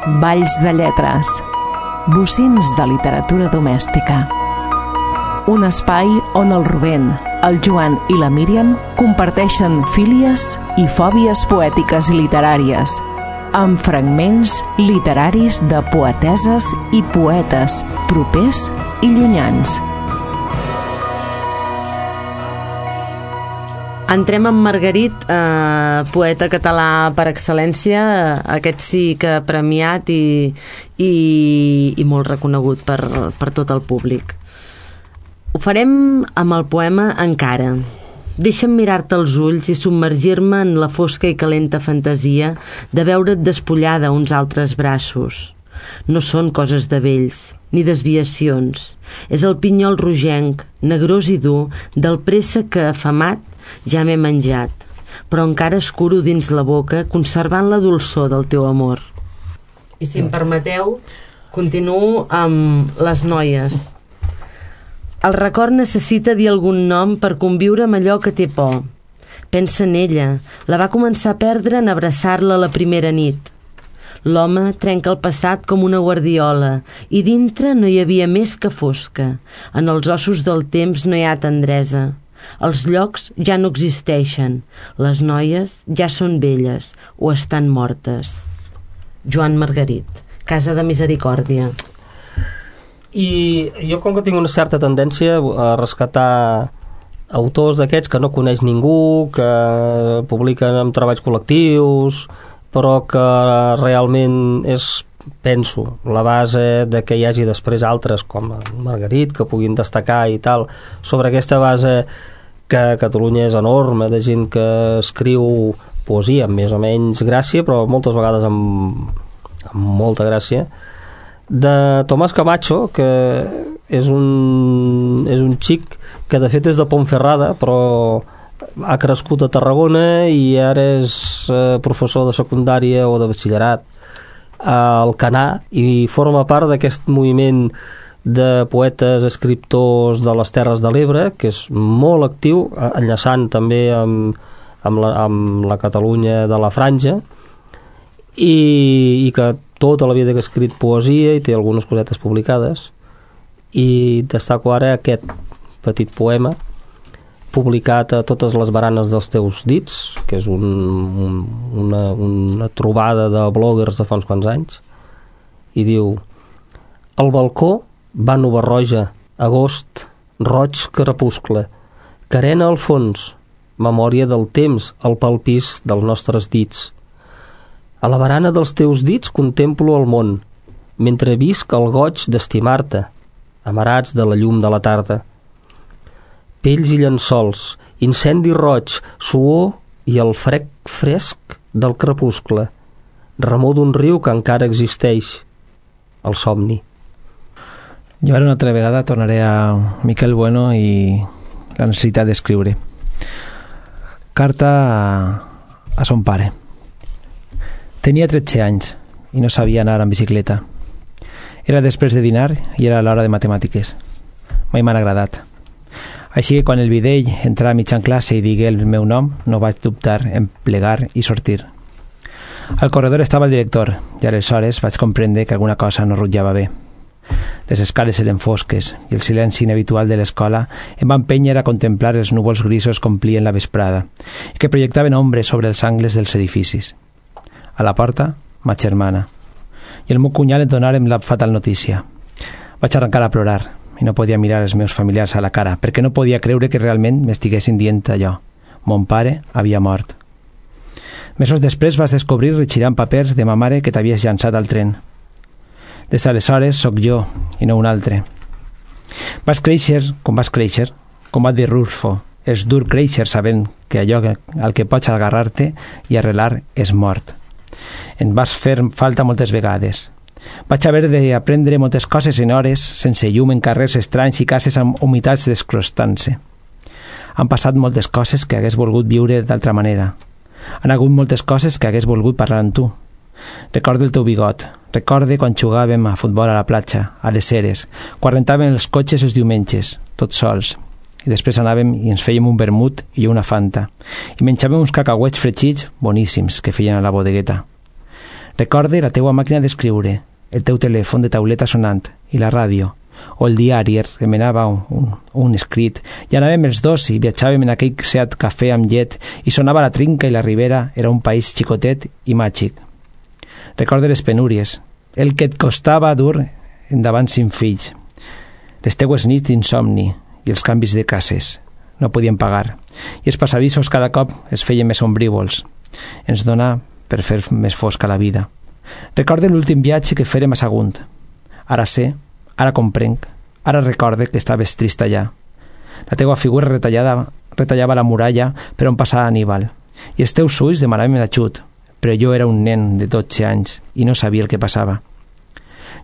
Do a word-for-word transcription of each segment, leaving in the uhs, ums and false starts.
balls de lletres, bocins de literatura domèstica. Un espai on el Rubén, el Joan i la Míriam comparteixen fílies i fòbies poètiques i literàries, amb fragments literaris de poeteses i poetes propers i llunyans. Entrem amb Margarit, eh, poeta català per excel·lència, aquest sí que premiat i, i, i molt reconegut per, per tot el públic. Ho farem amb el poema Encara. Deixa'm mirar-te als ulls i submergir-me en la fosca i calenta fantasia de veure't despullada a uns altres braços. No són coses de vells, ni desviacions. És el pinyol rogenc, negrós i dur, del préssec que, afamat, ja m'he menjat, però encara escuro dins la boca, conservant la dolçor del teu amor. I si em permeteu, continuo amb les noies. El record necessita dir algun nom per conviure amb allò que té por. Pensa en ella, la va començar a perdre en abraçar-la la primera nit. L'home trenca el passat com una guardiola i dintre no hi havia més que fosca. En els ossos del temps no hi ha tendresa. Els llocs ja no existeixen. Les noies ja són velles o estan mortes. Joan Margarit, Casa de Misericòrdia. I jo, com que tinc una certa tendència a rescatar autors d'aquests que no coneix ningú, que publiquen en treballs col·lectius, però que realment és, penso, la base de que hi hagi després altres com Margarit que puguin destacar i tal, sobre aquesta base que a Catalunya és enorme, de gent que escriu poesia amb més o menys gràcia, però moltes vegades amb, amb molta gràcia, de Tomàs Camacho, que és un, és un xic que de fet és de Ponferrada, però ha crescut a Tarragona i ara és eh, professor de secundària o de batxillerat al Canà i forma part d'aquest moviment de poetes, escriptors de les Terres de l'Ebre, que és molt actiu, enllaçant també amb, amb, la, amb la Catalunya de la Franja, i, i que tota la vida que ha escrit poesia i té algunes cosetes publicades, i destaco ara aquest petit poema publicat a Totes les baranes dels teus dits, que és un, un, una, una trobada de bloggers de fa uns quants anys, i diu: al balcó, Vànova roja, agost, roig crepuscle, carena al fons, memòria del temps al palpís dels nostres dits. A la barana dels teus dits contemplo el món, mentre visc el goig d'estimar-te, amarats de la llum de la tarda. Pells i llençols, incendi roig, suor i el frec fresc del crepuscle, remor d'un riu que encara existeix, el somni. Jo ara una altra vegada tornaré a Miquel Bueno i la necessitat d'escriure. Carta a, a son pare. Tenia tretze anys i no sabia anar en bicicleta. Era després de dinar i era l'hora de matemàtiques. Mai m'han agradat. Així que quan el videll entrà a mitjan classe i digué el meu nom, no vaig dubtar en plegar i sortir. Al corredor estava el director i aleshores vaig comprendre que alguna cosa no rutllava bé. Les escales eren fosques i el silenci inhabitual de l'escola em va empènyer a contemplar els núvols grisos que omplien la vesprada i que projectaven ombres sobre els angles dels edificis. A la porta, ma germana, i el meu cunyat em donaren la fatal notícia. Vaig arrencar a plorar i no podia mirar els meus familiars a la cara perquè no podia creure que realment m'estiguessin dient allò. Mon pare havia mort. Mesos després vas descobrir retxirant papers de ma mare que t'havies llançat al tren. Des d'aleshores sóc jo i no un altre. Vas créixer com vas créixer, com va dir Rulfo. És dur créixer sabent que allò al que pots agarrar-te i arrelar és mort. En vas fer falta moltes vegades. Vaig haver d'aprendre moltes coses en hores, sense llum, en carrers estranys i cases amb humitats descrostant-se. Han passat moltes coses que hagués volgut viure d'altra manera. Han hagut moltes coses que hagués volgut parlar amb tu. Recordo el teu bigot, recorde quan jugàvem a futbol a la platja, a les eres, quan rentàvem els cotxes els diumenges, tots sols, i després anàvem i ens fèiem un vermut i una fanta, i menjàvem uns cacauets fregits boníssims que feien a la bodegueta. Recorde la teua màquina d'escriure, el teu telèfon de tauleta sonant i la ràdio, o el diari, remenava un, un, un escrit, i anàvem els dos i viatjàvem en aquell Seat cafè amb llet i sonava la trinca i la ribera era un país xicotet i màgic. Recorde les penúries, el que et costava dur endavant cinc fills, les teues nits d'insomni i els canvis de cases. No podien pagar, i els passadissos cada cop es feien més ombrívols. Ens dona per fer més fosca la vida. Recorde l'últim viatge que fèrem a Sagunt. Ara sé, ara comprenc, ara recorde que estaves trist allà. La teua figura retallada retallava la muralla per on passava Aníbal, i els teus ulls demanaven l'ajut, però jo era un nen de dotze anys i no sabia el que passava.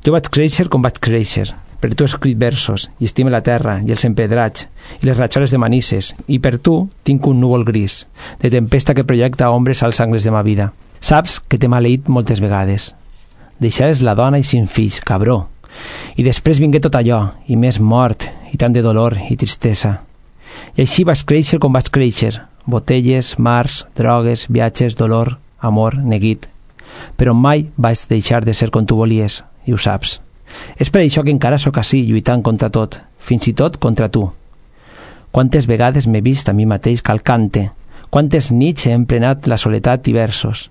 Jo vaig créixer com vaig créixer, per tu he escrit versos i estime la terra i els empedrats i les ratxoles de Manises, i per tu tinc un núvol gris, de tempesta que projecta ombres als angles de ma vida. Saps que t'he maleït moltes vegades. Deixares la dona i cinc fills, cabró. I després vingué tot allò, i més mort, i tant de dolor i tristesa. I així vas créixer com vas créixer, botelles, mars, drogues, viatges, dolor, amor, neguit. Però mai vaig deixar de ser com tu volies, i ho saps. És per això que encara sóc ací, lluitant contra tot, fins i tot contra tu. Quantes vegades m'he vist a mi mateix calcant-te, quantes nits he emplenat la soledat i versos.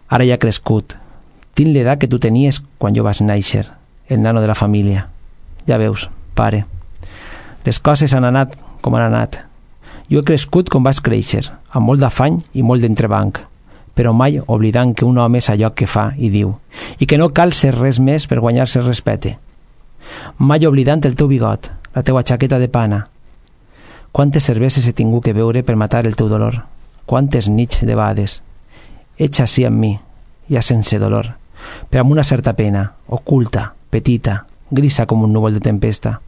Ara ja he crescut. Tinc l'edat que tu tenies quan jo vas néixer, el nano de la família. Ja veus, pare. Les coses han anat com han anat. Jo he crescut com vas créixer, amb molt d'afany i molt d'entrebanc, però mai oblidant que un home és allò que fa i diu, i que no cal ser res més per guanyar-se el respecte. Mai oblidant el teu bigot, la teua jaqueta de pana. Quantes cerveses he tingut que beure per matar el teu dolor, quantes nits de bades. Ets així amb mi, ja sense dolor, però amb una certa pena, oculta, petita, grisa com un núvol de tempesta.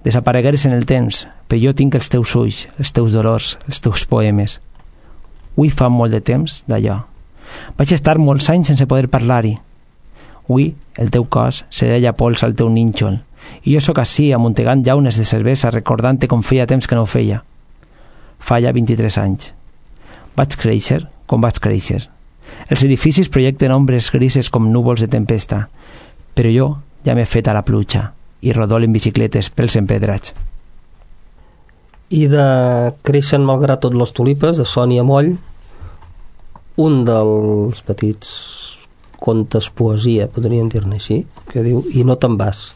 Desaparegueres en el temps, però jo tinc els teus ulls, els teus dolors, els teus poemes. Ui fa molt de temps d'allò. Vaig estar molts anys sense poder parlar-hi. Ui, el teu cos serella pols al teu nínxol, i jo sóc ací amuntegant llaunes de cervesa recordant-te com feia temps que no ho feia. Fa ja vint-i-tres anys. Vaig créixer com vaig créixer. Els edificis projecten ombres grises com núvols de tempesta, però jo ja m'he fet a la pluja i rodol en bicicletes pels empedrats. I de Creixen malgrat tot les tulipes, de Sònia Moll, un dels petits contes poesia, podríem dir-ne així, que diu I no te'n vas.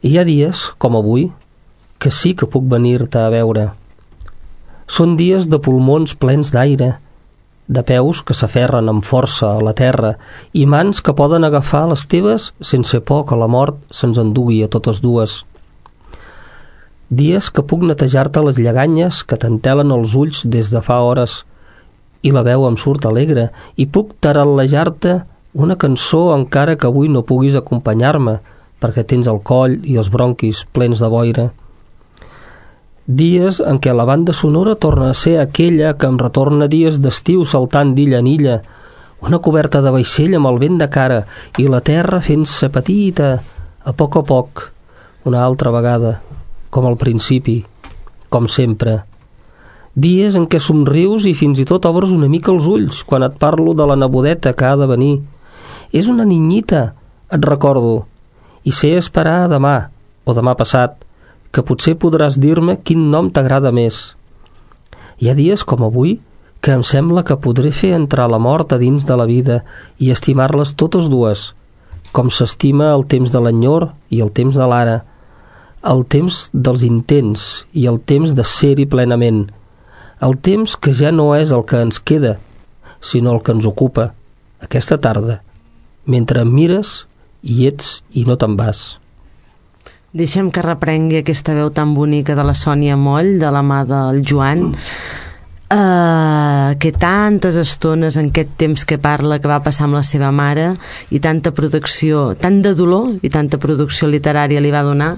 Hi ha dies, com avui, que sí que puc venir-te a veure. Són dies de pulmons plens d'aire, de peus que s'aferren amb força a la terra i mans que poden agafar les teves sense por que la mort se'ns endugui a totes dues. Dies que puc netejar-te les lleganyes que t'entelen els ulls des de fa hores i la veu em surt alegre i puc taral·lejar-te una cançó encara que avui no puguis acompanyar-me perquè tens el coll i els bronquis plens de boira. Dies en què la banda sonora torna a ser aquella que em retorna dies d'estiu saltant d'illa en illa, una coberta de vaixell amb el vent de cara i la terra fent-se petita, a poc a poc, una altra vegada, com al principi, com sempre. Dies en què somrius i fins i tot obres una mica els ulls quan et parlo de la nebodeta que ha de venir. És una ninyita, et recordo, i sé esperar demà o demà passat, que potser podràs dir-me quin nom t'agrada més. Hi ha dies com avui que em sembla que podré fer entrar la mort a dins de la vida i estimar-les totes dues, com s'estima el temps de l'enyor i el temps de l'ara, el temps dels intents i el temps de ser-hi plenament, el temps que ja no és el que ens queda, sinó el que ens ocupa, aquesta tarda, mentre em mires i ets i no te'n vas. Deixem que reprengui aquesta veu tan bonica de la Sònia Moll, de la mà del Joan, uh, que tantes estones en aquest temps que parla que va passar amb la seva mare i tanta producció, tant de dolor i tanta producció literària li va donar,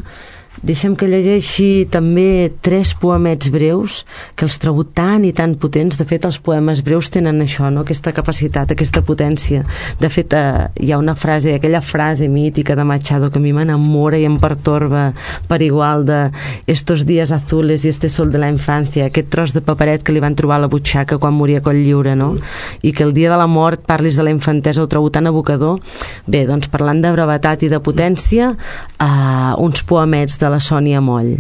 Deixa'm que llegeixi també tres poemets breus que els trobo tan i tan potents. De fet, els poemes breus tenen això, no? Aquesta capacitat, aquesta potència. De fet, eh, hi ha una frase, aquella frase mítica de Machado que a mi m'enamora i em pertorba per igual, de estos días azules y este sol de la infancia, aquest tros de paperet que li van trobar a la butxaca quan moria Coll Lliure, no? I que el dia de la mort parlis de la infantesa, ho trobo tan evocador. Bé, doncs parlant de brevetat i de potència, eh, uns poemets de la Sònia Moll.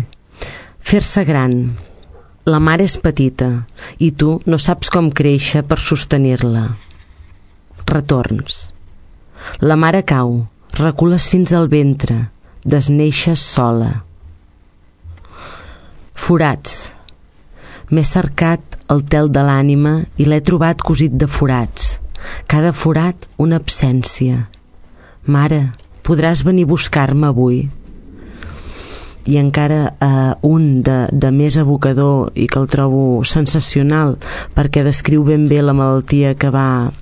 Fer-se gran. La mare és petita i tu no saps com créixer per sostenir-la. Retorns. La mare cau, recules fins al ventre, desneixes sola. Forats. M'he cercat el tel de l'ànima i l'he trobat cosit de forats. Cada forat una absència. Mare, podràs venir a buscar-me avui? I encara eh, un de, de més evocador i que el trobo sensacional perquè descriu ben bé la malaltia que va,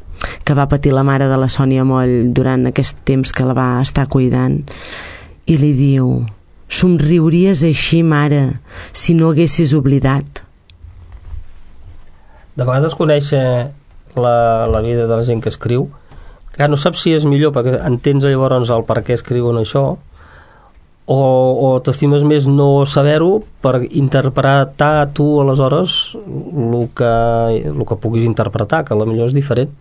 que va patir la mare de la Sònia Moll durant aquest temps que la va estar cuidant, i li diu: somriuries així, mare, si no haguessis oblidat. De vegades conèixer la, la vida de la gent que escriu, que no saps si és millor perquè entens llavors el per què escriuen això, o, o t'estimes més no saber-ho per interpretar tu aleshores el que, el que puguis interpretar, que potser és diferent.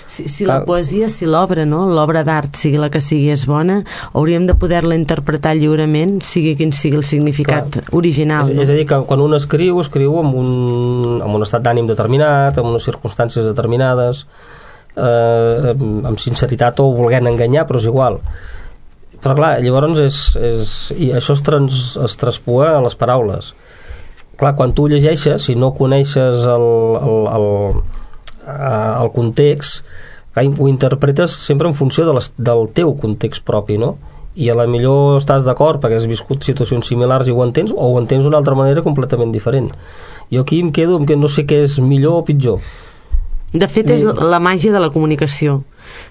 Si, si la poesia, si l'obra, no? L'obra d'art, sigui la que sigui, és bona, hauríem de poder-la interpretar lliurement, sigui quin sigui el significat Clar. original. És, no? és a dir, que quan un escriu, escriu amb un, amb un estat d'ànim determinat, amb unes circumstàncies determinades, eh, amb sinceritat o volent enganyar, però és igual. Però clar, llavors és, és, i això es, trans, es traspua a les paraules. Clar, quan tu llegeixes, si no coneixes el, el, el, el context, clar, ho interpretes sempre en funció de les, del teu context propi, no? I a la millor estàs d'acord perquè has viscut situacions similars i ho entens, o ho entens d'una altra manera completament diferent. Jo aquí em quedo amb que no sé què és millor o pitjor. De fet, és la màgia de la comunicació,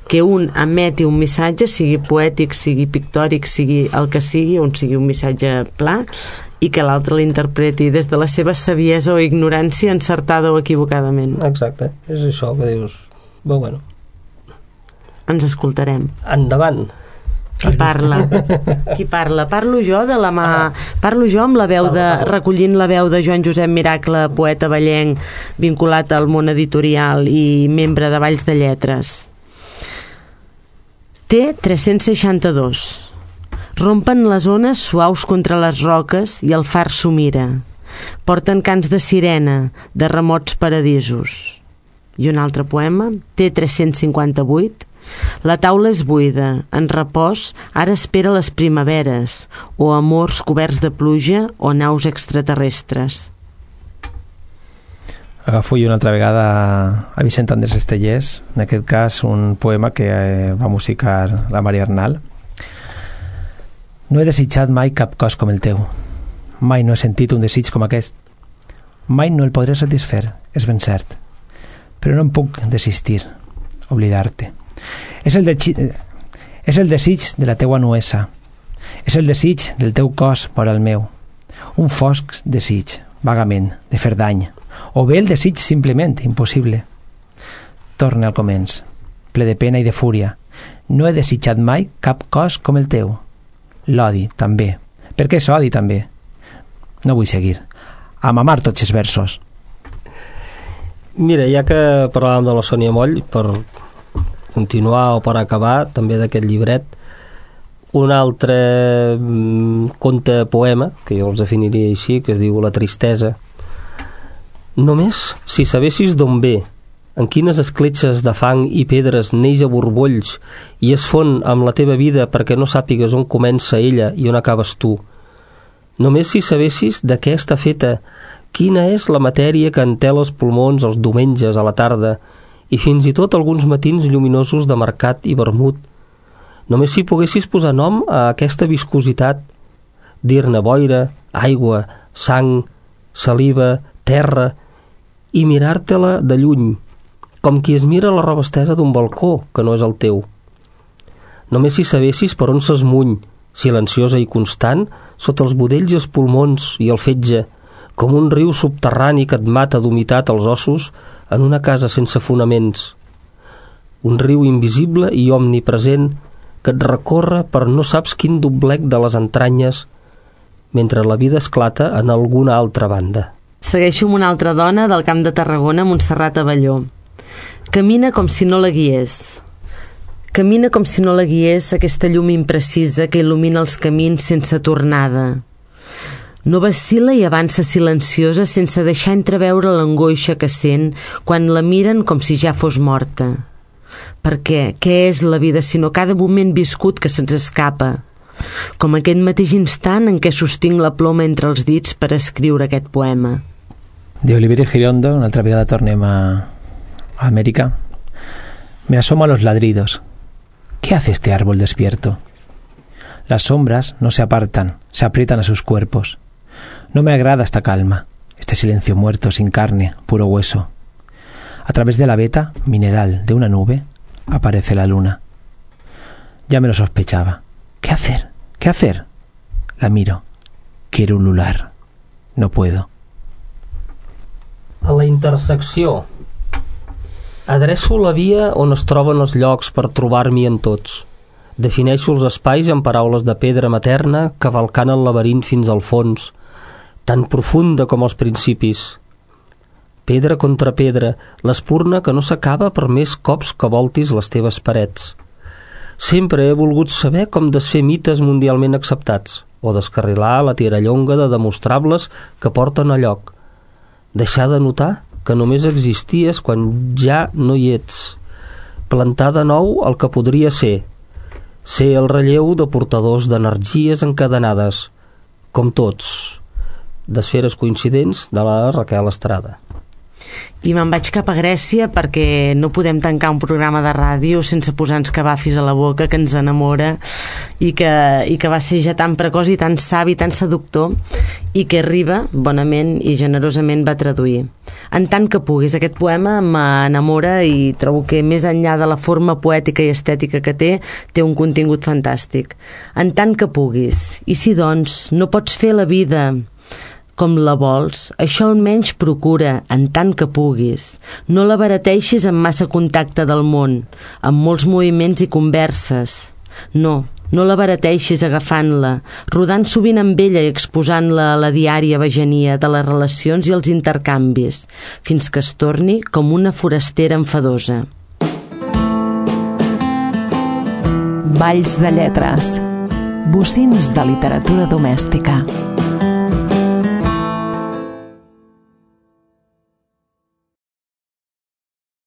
que un emeti un missatge, sigui poètic, sigui pictòric, sigui el que sigui, on sigui un missatge pla, i que l'altre l'interpreti des de la seva saviesa o ignorància, encertada o equivocadament. Exacte, és això que dius. Però bueno. Ens escoltarem. Endavant. Qui parla? Qui parla? Parlo jo de la mà... Parlo jo amb la veu de... recollint la veu de Joan Josep Miracle, poeta vallenc, vinculat al món editorial i membre de Valls de Lletres. T tres-cents seixanta-dos. Rompen les ones suaus contra les roques i el far s'ho mira. Porten cants de sirena, de remots paradisos. I un altre poema, T tres-cents cinquanta-vuit. La taula és buida, en repòs, ara espera les primaveres, o amors coberts de pluja o naus extraterrestres. Agafo jo una altra vegada a Vicent Andrés Estellés, en aquest cas un poema que va musicar la Maria Arnal. No he desitjat mai cap cos com el teu. Mai no he sentit un desig com aquest. Mai no el podré satisfer, és ben cert. Però no em puc desistir, oblidar-te. És el, de... és el desig de la teua nuesa. És el desig del teu cos vora el meu. Un fosc desig, vagament, de fer dany. O bé el desig simplement, impossible. Torne al començ, ple de pena i de fúria. No he desitjat mai cap cos com el teu. L'odi, també. Per què és odi, també? No vull seguir. A mamar tots els versos. Mira, ja que parlàvem de la Sònia Moll, per continuar o per acabar també d'aquest llibret, un altre mm, conte poema, que jo els definiria així, que es diu La tristesa. Només si sabessis d'on ve, en quines escletxes de fang i pedres neix a borbolls i es fon amb la teva vida perquè no sàpigues on comença ella i on acabes tu. Només si sabessis de què està feta, quina és la matèria que entela els pulmons els diumenges a la tarda i fins i tot alguns matins lluminosos de mercat i vermut. Només si poguessis posar nom a aquesta viscositat, dir-ne boira, aigua, sang, saliva, terra, i mirar-te-la de lluny, com qui es mira la roba estesa d'un balcó que no és el teu. Només si sabessis per on s'esmuny, silenciosa i constant, sota els budells i els pulmons i el fetge, com un riu subterrani que et mata d'humitat als ossos en una casa sense fonaments. Un riu invisible i omnipresent que et recorre per no saps quin doblec de les entranyes mentre la vida esclata en alguna altra banda. Segueixo amb una altra dona del Camp de Tarragona, Montserrat Abelló. Camina com si no la guiés. Camina com si no la guiés aquesta llum imprecisa que il·lumina els camins sense tornada. No vacil·la i avança silenciosa sense deixar entreveure l'angoixa que sent quan la miren com si ja fos morta. Perquè què és la vida sinó cada moment viscut que se'ns escapa? Com aquest mateix instant en què sostinc la ploma entre els dits per escriure aquest poema. De Oliverio Girondo, una altra vegada tornem a, a América. Me asomo a los ladridos. ¿Qué hace este árbol despierto? Las sombras no se apartan, se aprietan a sus cuerpos. No me agrada esta calma, este silencio muerto, sin carne, puro hueso. A través de la veta mineral de una nube aparece la luna. Ya me lo sospechaba. ¿Qué hacer? ¿Qué hacer? La miro. Quiero ulular. No puedo. A la intersecció. Adreço la via on es troben els llocs per trobar-m'hi en tots. Defineixo els espais amb paraules de pedra materna, cavalcant el laberint fins al fons, tan profunda com els principis. Pedra contra pedra, l'espurna que no s'acaba per més cops que voltis les teves parets. Sempre he volgut saber com desfer mites mundialment acceptats o descarrilar la tirallonga de demostrables que porten a lloc. Deixar de notar que només existies quan ja no hi ets. Plantar de nou el que podria ser. Ser el relleu de portadors d'energies encadenades, com tots, d'esferes coincidents de la Raquel Estrada. I me'n vaig cap a Grècia perquè no podem tancar un programa de ràdio sense posar-nos cabafis a la boca, que ens enamora i que, i que va ser ja tan precoç i tan savi, tan seductor, i que Riba bonament i generosament va traduir. En tant que puguis, aquest poema m'enamora i trobo que més enllà de la forma poètica i estètica que té, té un contingut fantàstic. En tant que puguis, i si doncs no pots fer la vida com la vols, això almenys procura, en tant que puguis. No la barateixis amb massa contacte del món, amb molts moviments i converses. No, no la barateixis agafant-la, rodant sovint amb ella i exposant-la a la diària vegenia de les relacions i els intercanvis, fins que es torni com una forastera enfadosa. Valls de lletres. Bocins de literatura domèstica.